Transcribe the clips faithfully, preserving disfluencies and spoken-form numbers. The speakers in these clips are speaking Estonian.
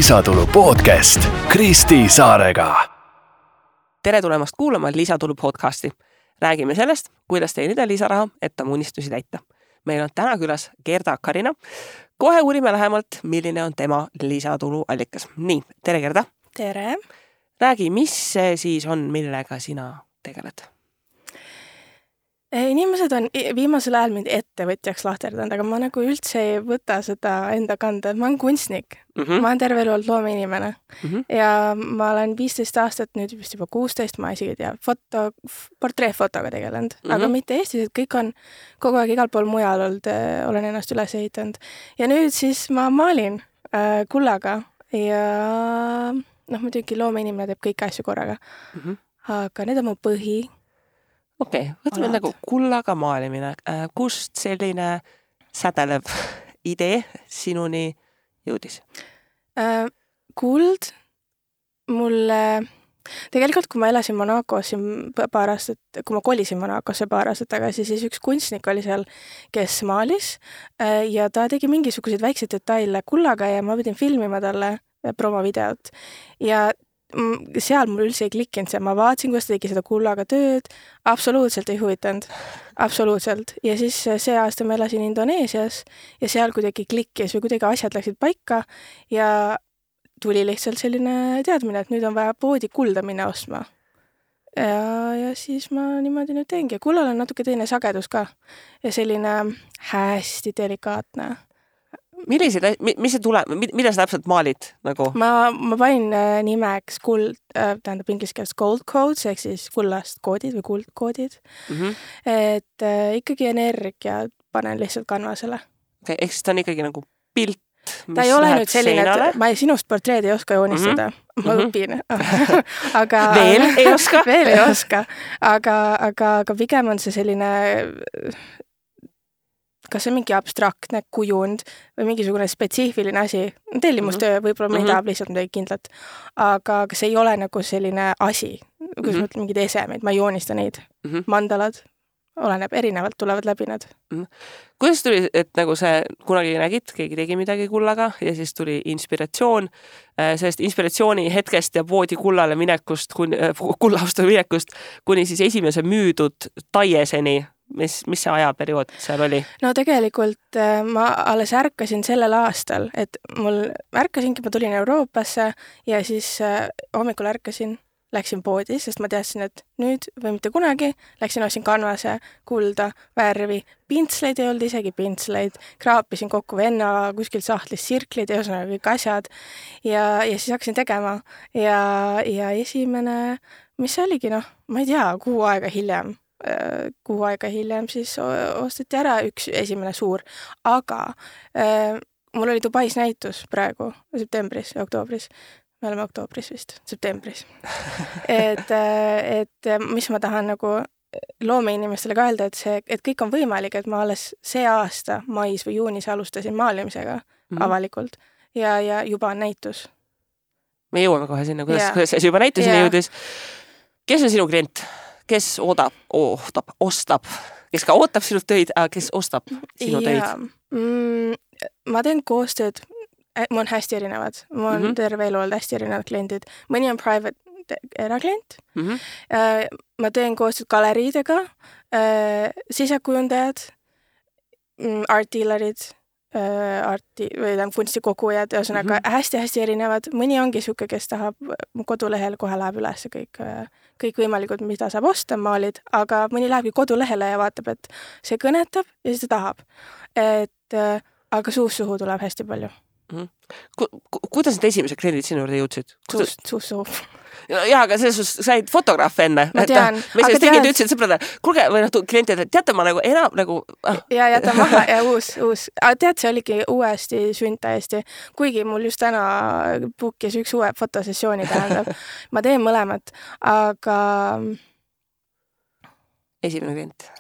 Lisatulu podcast Kristi Saarega. Tere tulemast kuulama Lisatulu podcasti. Räägime sellest, kuidas teenida lisaraha, et oma unistusi täita. Meil on täna külas Gerda Karina. Kohe uurime lähemalt, milline on tema lisatulu allikas. Nii, tere Gerda. Tere. Räägi, mis see siis on, millega sina tegeled? Inimesed on viimasel ajal mind ettevõtjaks lahterdanud, aga ma nagu üldse ei võta seda enda kanda. Ma olen kunstnik. Mm -hmm. Ma olen terve elu olnud loomeinimene. Mm -hmm. Ja ma olen viisteist aastat, nüüd vist juba kuusteist, ma isegi tea, foto, portreefotoga tegelenud. Mm -hmm. Aga mitte Eestis, et kõik on kogu aeg igal pool mujal olnud, olen ennast üles ehitanud. Ja nüüd siis ma maalin äh, kullaga ja noh, muidugi loomeinimene teeb kõiki asju korraga. Mm -hmm. Aga need on mu põhi. Okei, okay, võtame nagu kullaga maalimine. Äh, kust selline sädelev idee sinuni jõudis? Äh, kuld mulle... Tegelikult, kui ma elasin Monacos siin paar aastat, kui ma kolisin Monacosse paar aastat tagasi, siis üks kunstnik oli seal, kes maalis äh, ja ta tegi mingisuguseid väikseid detaile kullaga ja ma pidin filmima talle promovideot. Ja seal mul üldse ei klikkinud see, ma vaatasin, kuidas ta tegi seda kullaga tööd, absoluutselt ei huvitanud, absoluutselt. Ja siis see aasta ma elasin Indoneesias ja seal kuidagi klikkis või kuidagi asjad läksid paika ja tuli lihtsalt selline teadmine, et nüüd on vaja poodi kulda minna ostma. Ja, ja siis ma niimoodi nüüd teengi. Kullal on natuke teine sagedus ka ja selline hästi delikaatne. Millised, mis see tuleb, mida sa täpselt maalid? Nagu? Ma, ma panin nimeks kuld, tähendab inglise keeles gold codes, ehk siis kullast koodid või kuldkoodid. Mm -hmm. Et äh, ikkagi energia panen lihtsalt kanvasele. Okay, ehk siis ta on ikkagi nagu pilt, mis ta ei ole läheb nüüd selline, seinale? Et ma sinust portreed ei oska joonistada. Mm -hmm. Ma õpin. aga, veel ei oska? veel ei oska. Aga, aga, aga pigem on see selline... kas see on mingi abstraktne kujund või mingisugune spetsiifiline asi. Tellimustöö, võib-olla ma ei tahab lihtsalt midagi kindlat. Aga see ei ole nagu selline asi, kus mm -hmm. mõtled mingid esemeid, ma ei joonista neid. Mm -hmm. Mandalad, oleneb, erinevalt tulevad läbi nad. Mm -hmm. Kuidas tuli, et nagu see kunagi nägid, keegi tegi midagi kullaga ja siis tuli inspiratsioon sellest inspiratsiooni hetkest ja poodi kullale minekust, kullaostu minekust, kuni siis esimese müüdud taieseni. Mis, mis see ajaperiood seal oli? No tegelikult ma alles ärkasin sellel aastal, et mul ärkasingi, ma tulin Euroopasse ja siis hommikul ärkasin, läksin poodi, sest ma teadsin, et nüüd või mitte kunagi, läksin ostsin kanvase, kulda, värvi, pintsleid ei olnud isegi pintsleid, kraapisin kokku venna kuskilt sahtlist sirklid ja ühesõnaga kõik asjad ja, ja siis hakkasin tegema ja, ja esimene, mis see oligi, noh, ma ei tea, kuu aega hiljem kuu aega hiljem siis osteti ära üks esimene suur, aga äh, mul oli Dubais näitus praegu septembris ja oktoobris, me oleme oktoobris vist, septembris et, et mis ma tahan nagu loomeinimestele ka öelda, et see, et kõik on võimalik, et ma alles see aasta mais või juunis alustasin maalimisega mm -hmm. avalikult ja, ja juba on näitus. Me jõuame kohe sinna, kuidas, kuidas see juba näituseni jõudis. Kes on sinu klient? Kes oodab, ootab, ostab, kes ka ootab sinu töid, aga kes ostab sinu töid? Mm, ma teen koostööd, mul on hästi erinevad, mul on mm -hmm. terve elu olnud hästi erinevad kliendid. Mõni on private eraklient, mm -hmm. ma teen koostööd galeriidega, sisekujundajad, art dealerid, arti või tam kunstikogujad, ühesõnaga mm -hmm. hästi-hästi erinevad. Mõni ongi siuke, kes tahab, mu kodulehel kohe läheb üles kõik, kõik võimalikud, mida saab osta, maalid, aga mõni lähebki kodulehele ja vaatab, et see kõnetab ja siis ta tahab. Et, aga suust suhu tuleb hästi palju. Mm -hmm. Ku, ku, kuidas need esimesed kliendid sinu juurde jõudsid? Suust, suust suhu. Jaa, aga selles suhtes said fotograaf enne. Ma tean. Me sellest tegid ütlesid sõbrada, kuulge, või noh, klientid, et teate ma nagu enam nagu... Ah. Ja jäta maha ja uus, uus. Aga tead, see oligi uuesti sünd täiesti. Kuigi mul just täna bookis üks uue fotosessiooni tähendab. Ma teen mõlemat, aga... Esimene klient.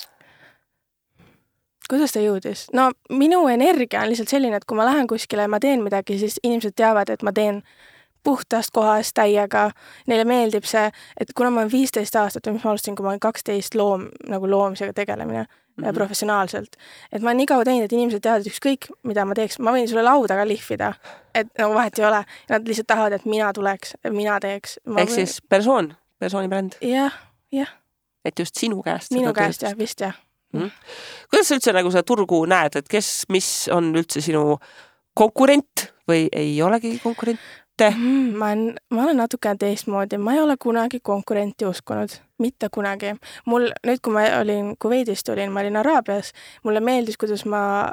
Kuidas ta jõudis? No minu energia on lihtsalt selline, et kui ma lähen kuskile ja ma teen midagi, siis inimesed teavad, et ma teen puhtast kohast täiega, neile meeldib see, et kuna ma olen viisteist aastat, mis ma alustasin, kui ma olen kaksteist loom, nagu loomisega tegelemine mm-hmm. professionaalselt, et ma olen nii kaua teinud, et inimesed teavad ükskõik, mida ma teeks, ma võin sulle lauda ka lihvida, et nagu vahet ei ole, nad lihtsalt tahavad, et mina tuleks, mina teeks. Ehk või... siis persoon, persooni bränd? Jah, jah. Et just sinu käest? Minu käest, jah, vist jah. Mm. Kuidas sa üldse nagu seda turgu näed, et kes, mis on üldse sinu konkurent või ei olegi konkurente? Mm, ma, olen, ma olen natukene teistmoodi, ma ei ole kunagi konkurenti uskunud, mitte kunagi. Mul, nüüd kui ma olin Kuveidist olin, ma olin Araabias, mulle meeldis, kuidas ma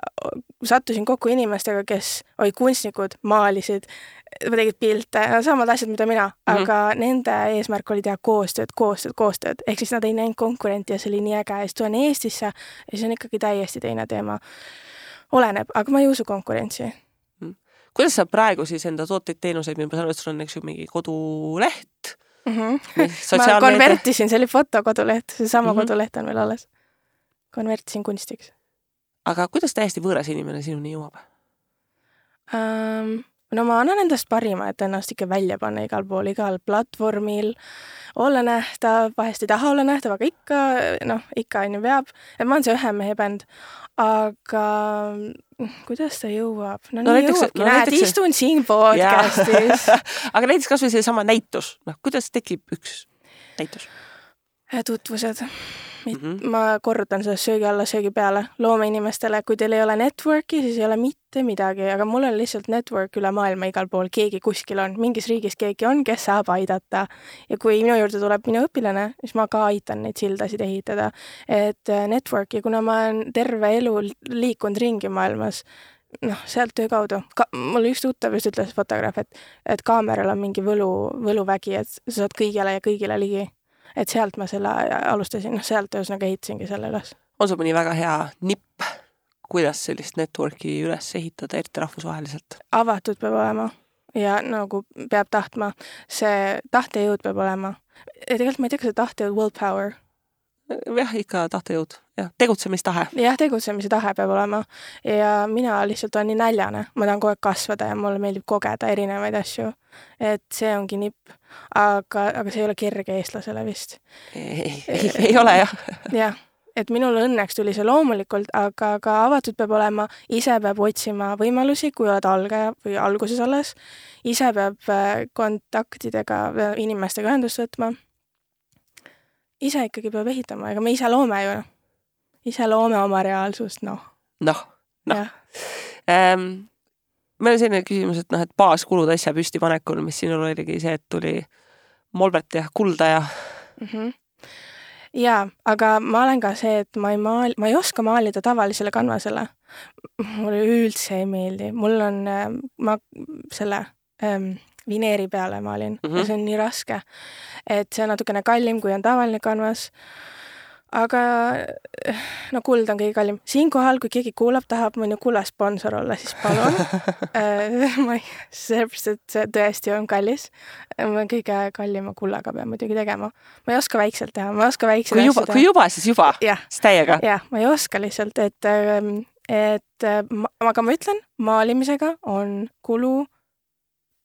sattusin kokku inimestega, kes olid kunstnikud, maalisid, tegid pilte, samad asjad, mida mina, mm-hmm. aga nende eesmärk oli teha koostööd, koostööd, koostööd, ehk siis nad ei näinud konkurenti ja see oli nii äge ja siis tulen Eestisse ja see on ikkagi täiesti teine teema. Oleneb, aga ma ei usu konkurentsi. Kuidas sa praegu siis enda tooteid teenuseid, ma saan, et sul on eks ju mingi koduleht? Mm-hmm. Ma konvertisin, see oli fotokoduleht, see sama mm-hmm. koduleht on veel alles. Konvertisin kunstiks. Aga kuidas täiesti võõras inimene sinuni jõuab? Um, no ma annan endast parima, et ennast ikka välja panna igal pool, igal platvormil, olla nähtav, vahest ei taha olla nähtav, aga ikka, noh, ikka on ju peab. Et ma olen see ühe mehe bänd, aga kuidas ta jõuab? No, no nii näiteks, jõuabki, no, näed, näiteks... istun siin podcastis. Aga näiteks kas või see sama näitus, noh, kuidas tekib üks näitus? Tutvused. Mm-hmm. Ma korrutan seda söögi alla, söögi peale loome inimestele, kui teil ei ole networki, siis ei ole mitte midagi, aga mul on lihtsalt network üle maailma igal pool, keegi kuskil on, mingis riigis keegi on, kes saab aidata ja kui minu juurde tuleb minu õpilane, siis ma ka aitan neid sildasid ehitada, et network ja kuna ma olen terve elu liikunud ringi maailmas, noh, sealt töö kaudu. Ka, mul üks tuttav just ütles fotograaf, et, et kaameral on mingi võlu, võluvägi, et sa saad kõigile ja kõigile ligi. Et sealt ma selle alustasin, noh, sealt ühesõnaga ehitasingi selle üles. On sul mõni väga hea nipp, kuidas sellist networki üles ehitada, eriti rahvusvaheliselt? Avatud peab olema ja nagu peab tahtma. See tahtejõud peab olema. Ja tegelikult ma ei tea, kas see tahtejõud willpower. Jah, ikka tahtejõud. Ja, tegutsemistahe. Jah, tegutsemise tahe peab olema. Ja mina lihtsalt olen nii näljane. Ma tahan kogu aeg kasvada ja mulle meeldib kogeda erinevaid asju. Et see ongi nipp. Aga, aga see ei ole kerge eestlasele vist. Ei, ei, ei ole, jah. Jah, et minul õnneks tuli see loomulikult, aga ka avatud peab olema, ise peab otsima võimalusi, kui oled algaja või alguses alles. Ise peab kontaktidega, inimestega ühendust võtma. Ise ikkagi peab ehitama, ega me ise loome ju. Ise loome oma reaalsust, noh. Noh, noh. Ähm, meil on selline küsimus, et, noh, et baaskulud asja püsti panekul, mis sinul oligi see, et tuli molbert ja kulda ja... Mm-hmm. Jaa, aga ma olen ka see, et ma ei, maal... ma ei oska maalida tavalisele kanvasele. Mulle üldse ei meeldi. Mul on, ma selle... Ähm, vineeri peale maalin mm-hmm. ja see on nii raske, et see on natukene kallim, kui on tavaline kanvas, aga no kuld on kõige kallim. Siinkohal, kui keegi kuulab, tahab mõni kulla sponsor olla, siis palun. ma ei, sellepärast, et see tõesti on kallis. Ma kõige kallima kullaga pean muidugi tegema. Ma ei oska väikselt teha, ma ei oska väikselt kui juba, kui juba, siis juba, siis täiega. Jah, ma ei oska lihtsalt, et, et aga ma ütlen, maalimisega on kulu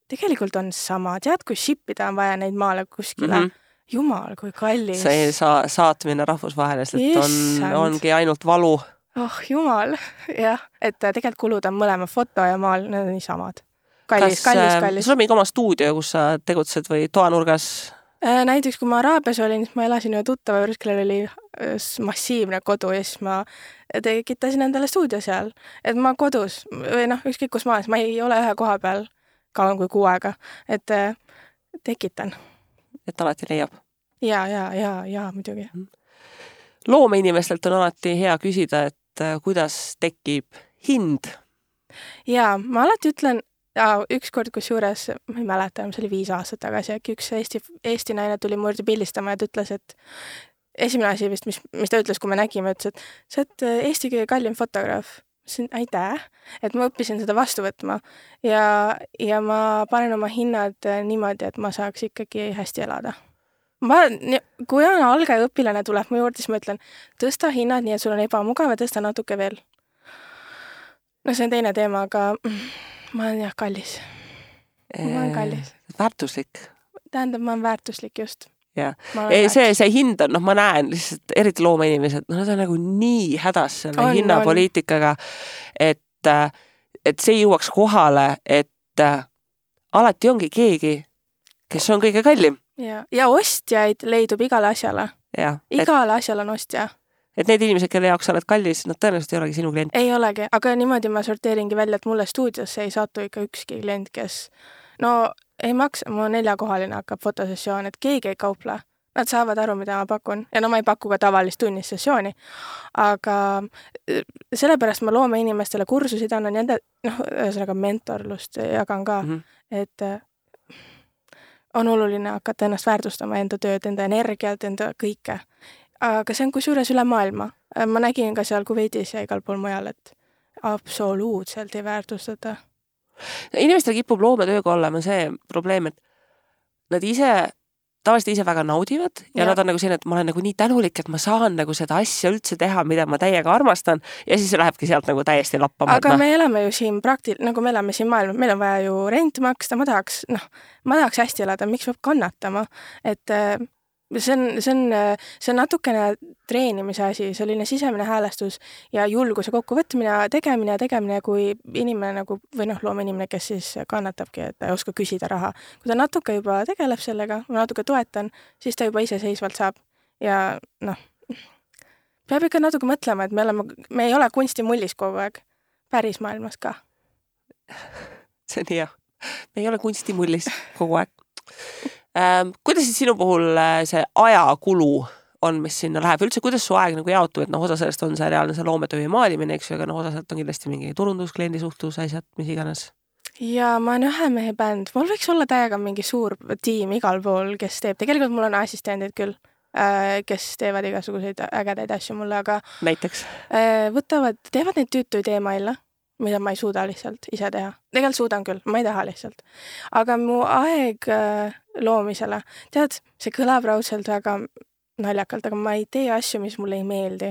tegelikult on sama. Tead, kui shipida on vaja neid maale kuskile? Mm-hmm. Jumal, kui kallis. See sa, saatmine rahvusvaheliselt on, ongi ainult valu. Oh, jumal. Jah, et tegelikult kulud on mõlema foto ja maal, need on nii samad. Kallis, Kas, kallis, kallis. Sul on mingi oma stuudio, kus sa tegutsed või toanurgas? Näiteks, kui ma Araabias olin, siis ma elasin ühe tuttava juures, kellel oli massiivne kodu ja siis ma tekitasin endale stuudio seal. Et ma kodus, või noh, ükskõik kus maas, ma ei ole ühe koha peal kauem kui kuu aega, et äh, tekitan. Et alati leiab? Ja, ja, ja, ja, muidugi. Loomeinimestelt on alati hea küsida, et äh, kuidas tekib hind? Ja, ma alati ütlen, ja, üks kord kus juures, ma ei mäleta, see oli viis aastat tagasi, äkki üks Eesti, Eesti naine tuli mu juurde pildistama ja ta ütles, et esimene asi vist, mis, mis ta ütles, kui me nägime, ütles, et sa oled Eesti kõige kallim fotograaf. Aitäh, et ma õppisin seda vastu võtma ja, ja ma panen oma hinnad niimoodi, et ma saaks ikkagi hästi elada. Ma, kui on algaja õpilane tuleb mu juurde, siis ma ütlen, tõsta hinnad nii, et sul on ebamugav ja tõsta natuke veel. No see on teine teema, aga ma olen jah kallis. ma olen kallis. Väärtuslik. Tähendab, ma olen väärtuslik just. Ja. Ei, see, see hind on, noh, ma näen lihtsalt eriti loomeinimesed, no nad on nagu nii hädas selle on, hinnapoliitikaga, et, et see jõuaks kohale, et alati ongi keegi, kes on kõige kallim. Ja, ja ostjaid leidub igale asjale. Ja, igale et, asjale on ostja. Et need inimesed, kelle jaoks oled kallis, nad tõenäoliselt ei olegi sinu klient. Ei olegi, aga niimoodi ma sorteeringi välja, et mulle stuudiosse ei saatu ikka ükski klient, kes no ei maksa, mu neljakohaline hakkab fotosessioon, et keegi ei kauple. Nad saavad aru, mida ma pakun. Ja no ma ei paku ka tavalist tunnissessiooni. Aga sellepärast ma loome inimestele kursusid annan jända, noh, ühesõnaga mentorlust jagan ka, mm -hmm. et on oluline hakata ennast väärtustama, enda tööd, enda energiat, enda kõike. Aga see on kusjuures üle maailma. Ma nägin ka seal Kuveidis ja igal pool mujal, et absoluutselt ei väärtustada. Inimestel kipub loometööga olema see probleem, et nad ise, tavaliselt ise väga naudivad ja, ja nad on nagu selline, et ma olen nagu nii tänulik, et ma saan nagu seda asja üldse teha, mida ma täiega armastan ja siis lähebki sealt nagu täiesti lappama. Aga no. Me elame ju siin praktil-, nagu me elame siin maailma, meil on vaja ju rent maksta, ma tahaks, noh, ma tahaks hästi elada, miks peab kannatama, et see on, see on, see on natukene treenimise asi, selline sisemine häälestus ja julguse kokkuvõtmine ja tegemine ja tegemine, kui inimene nagu, või noh, loome inimene, kes siis kannatabki, et ta ei oska küsida raha. Kui ta natuke juba tegeleb sellega, ma natuke toetan, siis ta juba iseseisvalt saab. Ja noh, peab ikka natuke mõtlema, et me, oleme, me ei ole kunstimullis kogu aeg, päris maailmas ka. See on hea. Me ei ole kunstimullis kogu aeg. Ähm, kuidas siis sinu puhul see ajakulu on, mis sinna läheb? Üldse, kuidas su aeg nagu jaotub, et noh, osa sellest on see reaalne see loometöö ja maalimine, eks ju, aga noh, osa sellest on kindlasti mingi turundus, kliendi suhtlus, asjad, mis iganes. Ja ma olen ühe mehe bänd. Mul võiks olla täiega mingi suur tiim igal pool, kes teeb. Tegelikult mul on assistendid küll, kes teevad igasuguseid ägedaid asju mulle, aga näiteks? Võtavad, teevad neid tüütuid e-maile, mida ma ei suuda lihtsalt ise teha. Tegelikult suudan küll, ma ei taha lihtsalt. Aga mu aeg loomisele, tead, see kõlab raudselt väga naljakalt, aga ma ei tee asju, mis mulle ei meeldi.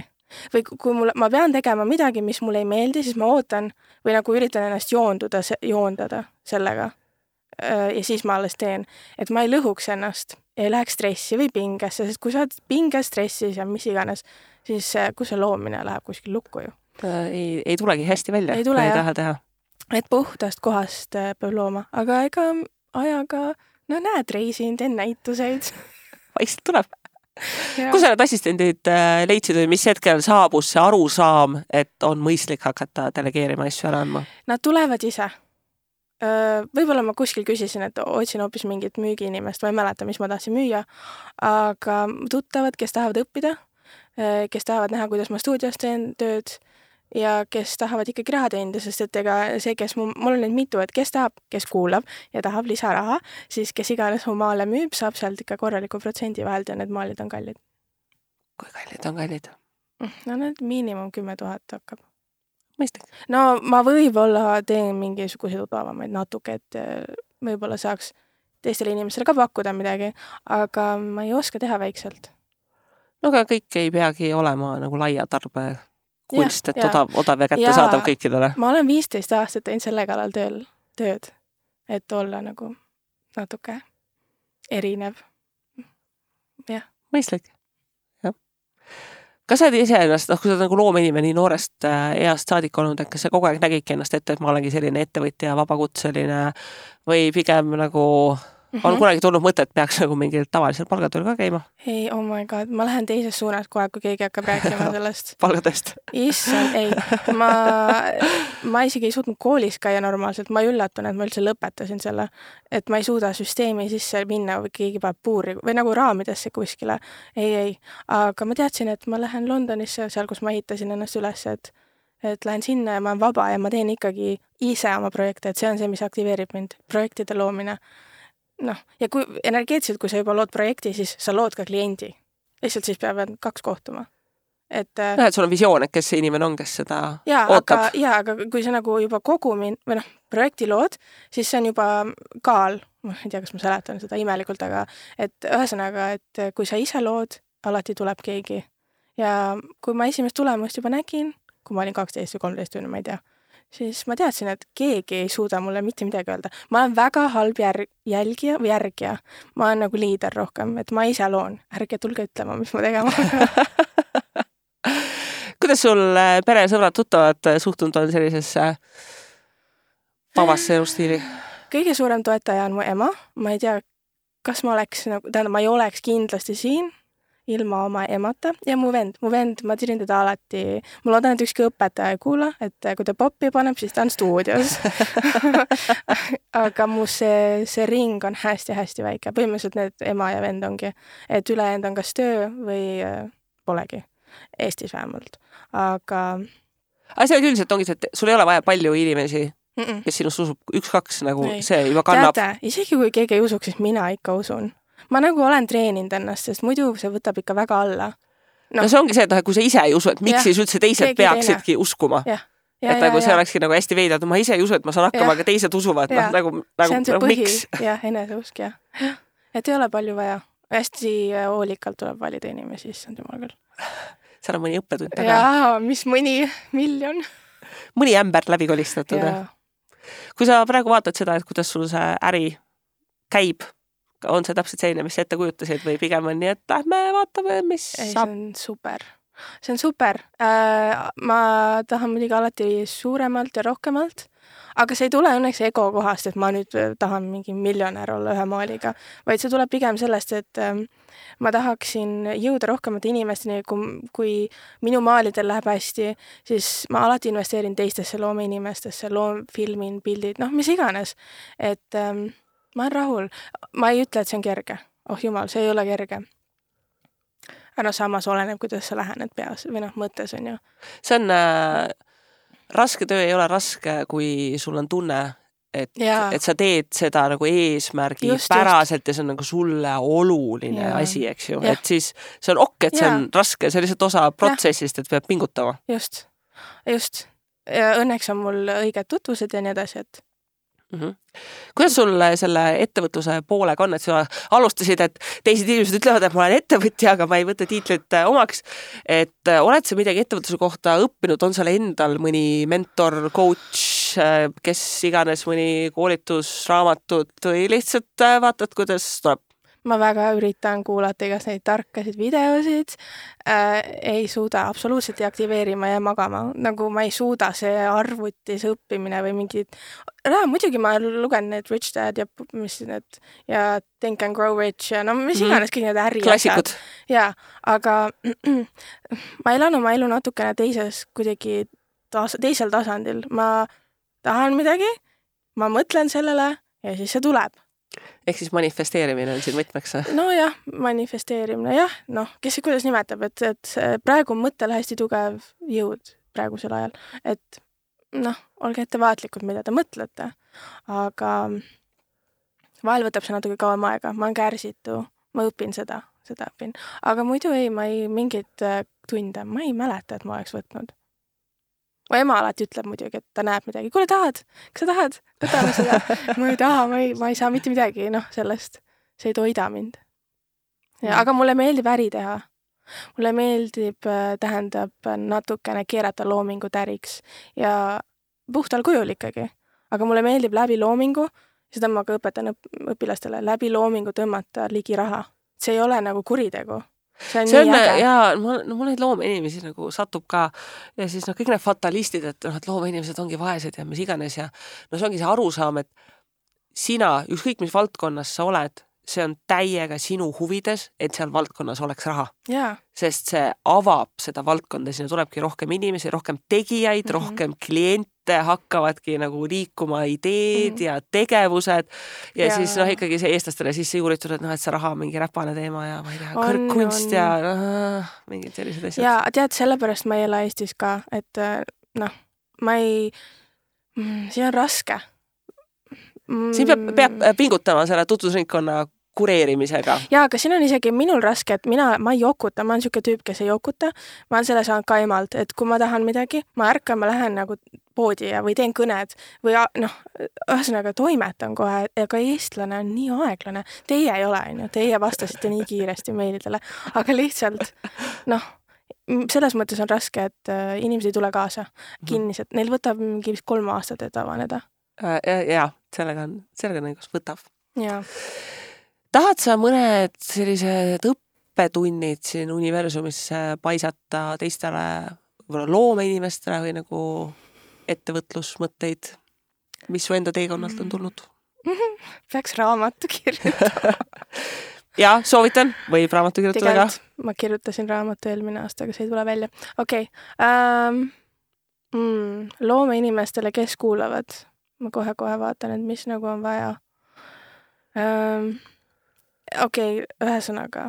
Või kui mul, ma pean tegema midagi, mis mulle ei meeldi, siis ma ootan või nagu üritan ennast joonduda, joondada sellega. Ja siis ma alles teen, et ma ei lõhuks ennast, ei läheks stressi või pingesse, sest kui sa oled pinges, stressis ja mis iganes, siis kui see loomine läheb kuskil lukku ju. Ei, ei tulegi hästi välja, ei tule, ei taha teha. Et puhtast kohast peab looma, aga ega ajaga, no näed, reisin, teen näituseid. Vaikselt tuleb. Kus sa need assistendid leidsid või mis hetkel saabus see arusaam, et on mõistlik hakata delegeerima asju ära andma? Nad tulevad ise. Võib-olla ma kuskil küsisin, et otsin hoopis mingit müügiinimest, ma ei mäleta, mis ma tahtsin müüa, aga tuttavad, kes tahavad õppida, kes tahavad näha, kuidas ma stuudios teen tööd ja kes tahavad ikkagi raha teenida, sest et ega see, kes mul, mul on nüüd mitu, et kes tahab, kes kuulab ja tahab lisaraha, siis kes iganes mu maale müüb, saab sealt ikka korraliku protsendi vahelt ja need maalid on kallid. Kui kallid on kallid? No need miinimum kümme tuhat hakkab. Mõistlik. No ma võib-olla teen mingisuguseid odavamaid natuke, et võib-olla saaks teistele inimestele ka pakkuda midagi, aga ma ei oska teha väikselt. No aga kõik ei peagi olema nagu laia tarbe kunst, et odav, odav ja kätte saadav kõikidele. Ma olen viisteist aastat teinud selle kallal tööl, tööd, et olla nagu natuke erinev. Jah. Mõistlik. Jah. Kas sa oled ise ennast, noh, kui sa oled nagu loomeinimene nii noorest east saadik olnud, et kas sa kogu aeg nägidki ennast ette, et ma olengi selline ettevõtja, vabakutseline või pigem nagu on mm-hmm. kunagi tulnud mõte, et peaks nagu mingil tavalisel palgatööl ka käima? Ei, oh my god, ma lähen teises suunas kohe, kui keegi hakkab rääkima sellest. Palgatööst? Issand, ei. Ma, ma isegi ei suutnud koolis käia normaalselt, ma ei üllatun, et ma üldse lõpetasin selle, et ma ei suuda süsteemi sisse minna või keegi paneb puuri või nagu raamidesse kuskile. Ei, ei. Aga ma teadsin, et ma lähen Londonisse, seal, kus ma ehitasin ennast üles, et et lähen sinna ja ma olen vaba ja ma teen ikkagi ise oma projekte, et see on see, mis aktiveerib mind, projektide loomine. Noh, ja kui energeetiliselt, kui sa juba lood projekti, siis sa lood ka kliendi. Lihtsalt siis peavad kaks kohtuma. Et, no, et sul on visioon, et kes see inimene on, kes seda jaa, ootab. Aga, jaa, aga kui sa nagu juba kogumin, või noh, projekti lood, siis see on juba kaal. Ma ei tea, kas ma seletan seda imelikult, aga et ühesõnaga, et kui sa ise lood, alati tuleb keegi. Ja kui ma esimest tulemust juba nägin, kui ma olin kaksteist või kolmteist tunni, ma ei tea, siis ma teadsin, et keegi ei suuda mulle mitte midagi öelda. Ma olen väga halb jär- jälgija või järgija. Ma olen nagu liider rohkem, et ma ise loon. Ärge tulge ütlema, mis ma tegema hakkan. Kuidas sul pere, sõbrad, tuttavad suhtunud on sellisesse vabasse elustiili? Kõige suurem toetaja on mu ema. Ma ei tea, kas ma oleks, nagu, tähendab, ma ei oleks kindlasti siin ilma oma emata ja mu vend, mu vend, ma tirin teda alati, ma loodan, et ükski õpetaja ei kuula, et kui ta poppi paneb, siis ta on stuudios. Aga mu see, see ring on hästi-hästi väike. Põhimõtteliselt need ema ja vend ongi, et ülejäänud on kas töö või polegi. Eestis vähemalt. Aga... Aga see üldiselt ongi, et sul ei ole vaja palju inimesi, Mm-mm. kes sinust usub üks-kaks, nagu ei. See juba kannab. Teate, isegi kui keegi ei usuks, siis mina ikka usun. Ma nagu olen treeninud ennast, sest muidu see võtab ikka väga alla. No, no see ongi see, et kui sa ise ei usu, et miks siis üldse teised keegi peaksidki teine. Uskuma. Ja. Ja, et ja, nagu ja, see ja. Olekski nagu hästi veidad, ma ise ei usu, et ma saan hakkama, aga teised usuvad. No, nagu, nagu, see on see nagu, põhi. Miks? Ja, eneseusk, ja. Et ei ole palju vaja. Hästi hoolikalt tuleb valida inimesi, siis on jumal küll. Seal on mõni õppetund taga. Jaa, mis mõni miljon. Mõni ämber läbi kolistatud. Kui sa praegu vaatad seda, et kuidas sul see äri käib, on see täpselt selline, mis ette kujutasid või pigem on nii, et lähme vaatame, mis ei, saab? See on super. See on super. Äh, ma tahan muidugi alati suuremalt ja rohkemalt, aga see ei tule õnneks ego kohast, et ma nüüd tahan mingi miljonär olla ühe maaliga, vaid see tuleb pigem sellest, et äh, ma tahaksin jõuda rohkemate inimesteni, kui, kui minu maalidel läheb hästi, siis ma alati investeerin teistesse loomeinimestesse, loom, filmin, pildid, noh, mis iganes. Et... Ähm, ma olen rahul. Ma ei ütle, et see on kerge. Oh jumal, see ei ole kerge. Aga no samas oleneb, kuidas sa lähened peas või noh, mõttes on ju. See on äh, raske töö ei ole raske, kui sul on tunne, et, et sa teed seda nagu eesmärgi just, päraselt just. Ja see on nagu sulle oluline ja. Asi, eks ju. Ja. Et siis see on ok, et see ja. On raske, see on lihtsalt osa protsessist, et peab pingutama. Just, just. Ja õnneks on mul õiged tutvused ja nii edasi, et Mm-hmm. Kuidas sul selle ettevõtluse poolega on, et sa alustasid, et teised inimesed ütlevad, et ma olen ettevõtja, aga ma ei võta tiitlit omaks, et oled sa midagi ettevõtluse kohta õppinud, on seal endal mõni mentor, coach, kes iganes mõni koolitus, raamatut või lihtsalt vaatad, kuidas tuleb? Ma väga üritan kuulata igas neid tarkasid videosid, äh, ei suuda absoluutselt deaktiveerima ja magama, nagu ma ei suuda see arvutis õppimine või mingid, no, muidugi ma lugen need Rich Dad ja mis need ja Think and Grow Rich ja no mis iganes kõik need äri klassikud. Ja, aga ma elan oma elu natukene teises kuidagi tas, teisel tasandil, ma tahan midagi, ma mõtlen sellele ja siis see tuleb. Ehk siis manifesteerimine on siin võtmeks? No jah, manifesteerimine, jah, noh, kes kuidas nimetab, et, et praegu on mõttel hästi tugev jõud praegusel ajal, et noh, olge ettevaatlikud, mida te mõtlete, aga vahel võtab see natuke kauem aega, ma olen kärsitu, ma õpin seda, seda õpin, aga muidu ei, ma ei mingit tunde, ma ei mäleta, et ma oleks võtnud. Mu ema alati ütleb muidugi, et ta näeb midagi. Kuule, tahad? Kas sa tahad? Võtame seda. Ma ei taha, ma ei, ma ei saa mitte midagi, noh, sellest. See ei toida mind. Ja, aga mulle meeldib äri teha. Mulle meeldib, tähendab, natukene keerata loomingu täriks ja puhtal kujul ikkagi. Aga mulle meeldib läbi loomingu, seda ma ka õpetan õpilastele, läbi loomingu tõmmata ligi raha. See ei ole nagu kuritegu. See on, see on ja mul, no, mul neid loomeinimesi nagu satub ka ja siis no kõik need fatalistid, et, no, et loomeinimesed ongi vaesed ja mis iganes ja no see ongi see arusaam, et sina, ükskõik mis valdkonnas sa oled, see on täiega sinu huvides, et seal valdkonnas oleks raha. Yeah. Sest see avab seda valdkonda, sinna tulebki rohkem inimesi, rohkem tegijaid, mm-hmm. rohkem kliente, hakkavadki nagu liikuma ideed mm-hmm. ja tegevused ja, ja siis noh, ikkagi see eestlastele sisse juuritud, et noh, et see raha on mingi räpane teema ja ma ei tea, kõrgkunst ja noh, mingid sellised asjad. Ja tead, sellepärast ma ei ela Eestis ka, et noh, ma ei, siin on raske. Siin peab, peab pingutama selle tutvusringkonna kureerimisega. Jaa, aga siin on isegi minul raske, et mina, ma ei jokuta, ma olen siuke tüüp, kes ei jokuta. Ma olen selle saanud ka emalt, et kui ma tahan midagi, ma ärkan, ma lähen nagu poodi ja või teen kõned või noh, ühesõnaga toimetan kohe, aga eestlane on nii aeglane. Teie ei ole, on ju, teie vastasite nii kiiresti meilidele, aga lihtsalt noh, selles mõttes on raske, et inimesed ei tule kaasa kinnised. Neil võtab mingi vist kolm aastat, et avaneda. Ja, ja sellega on, sellega on õigus võtav. Ja. Tahad sa mõned sellised õppetunnid siin universumisse paisata teistele loomeinimestele või nagu ettevõtlusmõtteid, mis su enda teekonnalt on tulnud? Peaks raamatu kirjutama. Ja, soovitan, võib raamatu kirjutada ka. Ma kirjutasin raamatu eelmine aasta, aga see ei tule välja. Okei. Okay. Um, mm, loome inimestele, kes kuulavad. Ma kohe-kohe vaatan, et mis nagu on vaja. Um, Okei, okay, ühesõnaga.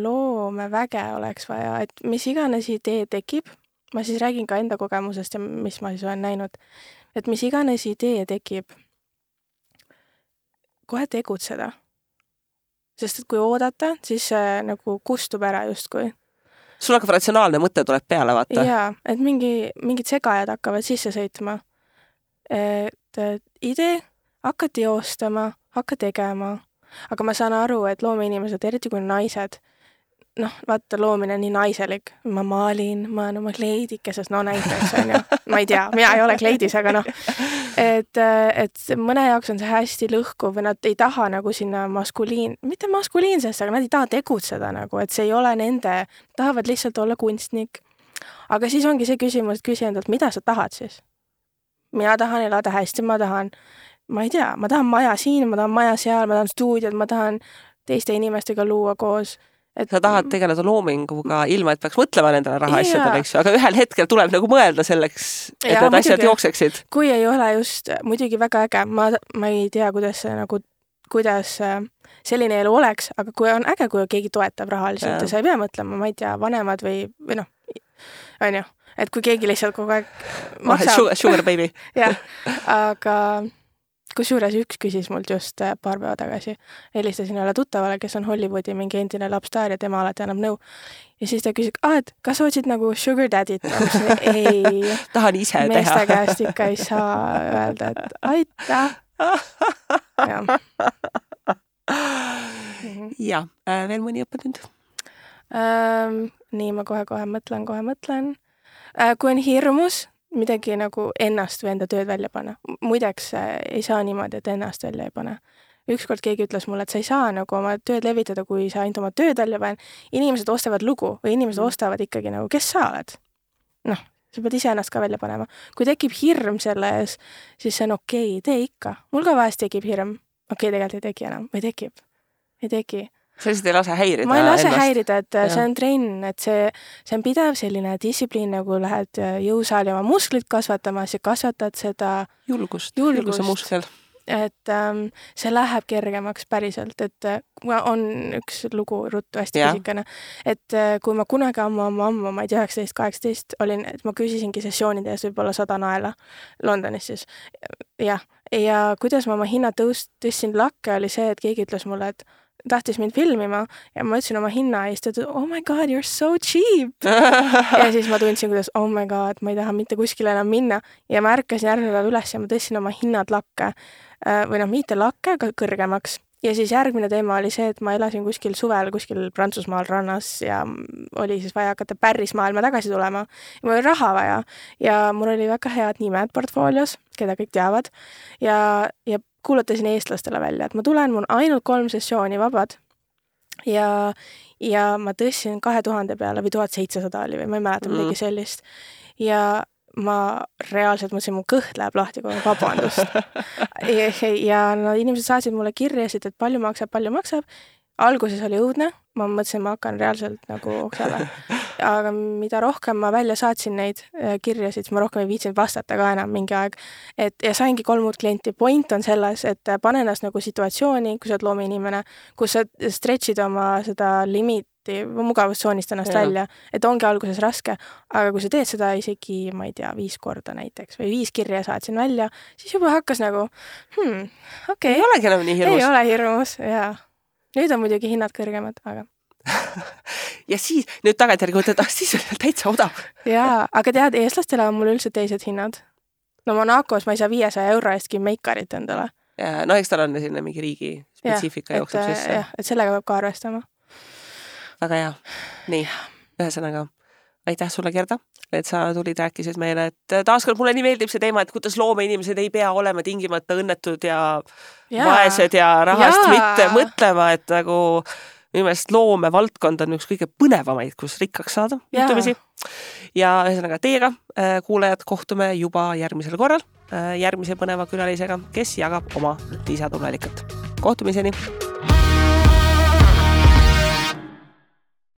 Loome väge oleks vaja, et mis iganes idee tekib. Ma siis räägin ka enda kogemusest ja mis ma siis olen näinud. Et mis iganes idee tekib, kohe tegutseda. Sest et kui oodata, siis see nagu kustub ära justkui. Sul hakkab ratsionaalne mõte tuleb peale, vaata. Jaa, et mingi, mingid segajad hakkavad sisse sõitma. Et, et idee, hakka teostama, hakka tegema. Aga ma saan aru, et loomeinimesed, eriti kui naised, noh, vaata, loomine on nii naiselik. Ma maalin, ma olen oma kleidikeses, no näiteks on ju. Ma ei tea, mina ei ole kleidis, aga noh. Et, et mõne jaoks on see hästi lõhkuv või nad ei taha nagu sinna maskuliin, mitte maskuliinsesse, aga nad ei taha tegutseda nagu, et see ei ole nende, tahavad lihtsalt olla kunstnik. Aga siis ongi see küsimus, et küsi endalt, mida sa tahad siis? Mina tahan elada hästi, ma tahan, ma ei tea, ma tahan maja siin, ma tahan maja seal, ma tahan stuudiod, ma tahan teiste inimestega luua koos. Et sa tahad tegeleda loominguga ilma, et peaks mõtlema nendele rahaasjadele, eks ju, aga ühel hetkel tuleb nagu mõelda selleks, et ja, need asjad jookseksid. Kui ei ole just muidugi väga äge, ma, ma ei tea, kuidas, nagu, kuidas selline elu oleks, aga kui on äge, kui keegi toetab rahaliselt ja, ja sa ei pea mõtlema, ma ei tea, vanemad või, või noh, on ju, et kui keegi lihtsalt kogu aeg maksab. Sugar, sugar baby. jah, aga kusjuures üks küsis mult just paar päeva tagasi. Helistasin üle tuttavale, kes on Hollywoodi mingi endine lapstaar ja tema alati annab nõu. Ja siis ta küsis, ah, et kas otsid nagu sugar daddy't? Ei. Tahan ise teha. Meeste käest ikka ei saa öelda, et aita. Ja, ja äh, veel mõni õppetund? Ähm, nii, ma kohe-kohe mõtlen, kohe mõtlen. Äh, kui on hirmus, midagi nagu ennast või enda tööd välja panna. Muideks ei saa niimoodi, et ennast välja ei pane. Ükskord keegi ütles mulle, et sa ei saa nagu oma tööd levitada, kui sa ainult oma tööd välja panen. Inimesed ostavad lugu või inimesed mm. ostavad ikkagi nagu, kes sa oled? Noh, sa pead ise ennast ka välja panema. Kui tekib hirm selle ees, siis see on okei, okay, tee ikka. Mul ka vahest tekib hirm. Okei, okay, tegelikult ei teki enam. Või tekib? Ei teki. Sa lihtsalt ei lase häirida ma ei lase ennast. häirida, et ja. See on trenn, et see, see on pidev selline distsipliin, nagu lähed jõusaali oma musklit kasvatamas ja kasvatad seda julgust, julgust. julguse muskel. Et ähm, see läheb kergemaks päriselt, et äh, on üks lugu ruttu hästi pisikene, et äh, kui ma kunagi ammu, ammu, ammu, ma ei tea, üheksateist kaheksateist olin, et ma küsisingi sessioonide ees võib-olla sada naela Londonis siis. Jah, ja kuidas ma oma hinna tõust, tõstsin lakke, oli see, et keegi ütles mulle, et tahtis mind filmima ja ma ütlesin oma hinna ja siis ta ütles, oh my god, you're so cheap. Ja siis ma tundsin, kuidas, oh my god, ma ei taha mitte kuskile enam minna ja ma ärkasin järgmine päev üles ja ma tõstsin oma hinnad lakke või noh, mitte lakke, aga kõrgemaks. Ja siis järgmine teema oli see, et ma elasin kuskil suvel, kuskil Prantsusmaal rannas ja oli siis vaja hakata päris maailma tagasi tulema. Ja mul oli raha vaja ja mul oli väga head nimed portfoolios, keda kõik teavad ja, ja kuulutasin eestlastele välja, et ma tulen, mul on ainult kolm sessiooni vabad ja, ja ma tõstsin kahe tuhande peale või tuhat seitsesada oli või ma ei mäleta mm. midagi sellist ja ma reaalselt mõtlesin, mu kõht läheb lahti, kui vabandust. ja, ja no, inimesed saatsid mulle kirjasid, et palju maksab, palju maksab. Alguses oli õudne, ma mõtlesin, ma hakkan reaalselt nagu oksale. Aga mida rohkem ma välja saatsin neid kirjasid, siis ma rohkem ei viitsinud vastata ka enam mingi aeg. Et, ja saingi kolm uut klienti. Point on selles, et pane ennast nagu situatsiooni, kui sa oled loomeinimene, kus sa stretchid oma seda limiiti, mugavustsoonist ennast ja. Välja, et ongi alguses raske, aga kui sa teed seda isegi, ma ei tea, viis korda näiteks või viis kirja saatsin välja, siis juba hakkas nagu, hmm, okei. Okay. Ei olegi enam nii hirmus. Ei ole hirmus, jaa. Nüüd on muidugi hinnad kõrgemad, aga... ja siis, nüüd tagantjärgi mõtled, ah, siis on täitsa odav. Jaa, aga tead, eestlastele on mul üldse teised hinnad. No Monacos ma ei saa viiesaja euro eestki meikarit endale. Ja, no eks tal on sinna mingi riigi spetsiifika jookseb sisse. Jah, et sellega peab ka arvestama. Väga hea. Nii. ühesõnaga, aitäh sulle, Gerda, et sa tulid, rääkisid meile, et taaskord mulle nii meeldib see teema, et kuidas loomeinimesed ei pea olema tingimata õnnetud ja, ja vaesed ja rahast ja. mitte mõtlema, et nagu minu meelest loomevaldkond on üks kõige põnevamaid, kus rikkaks saada juhtumisi. Ja ühesõnaga teiega, kuulajad, kohtume juba järgmisel korral järgmise põneva külalisega, kes jagab oma lisatunelikat. Kohtumiseni!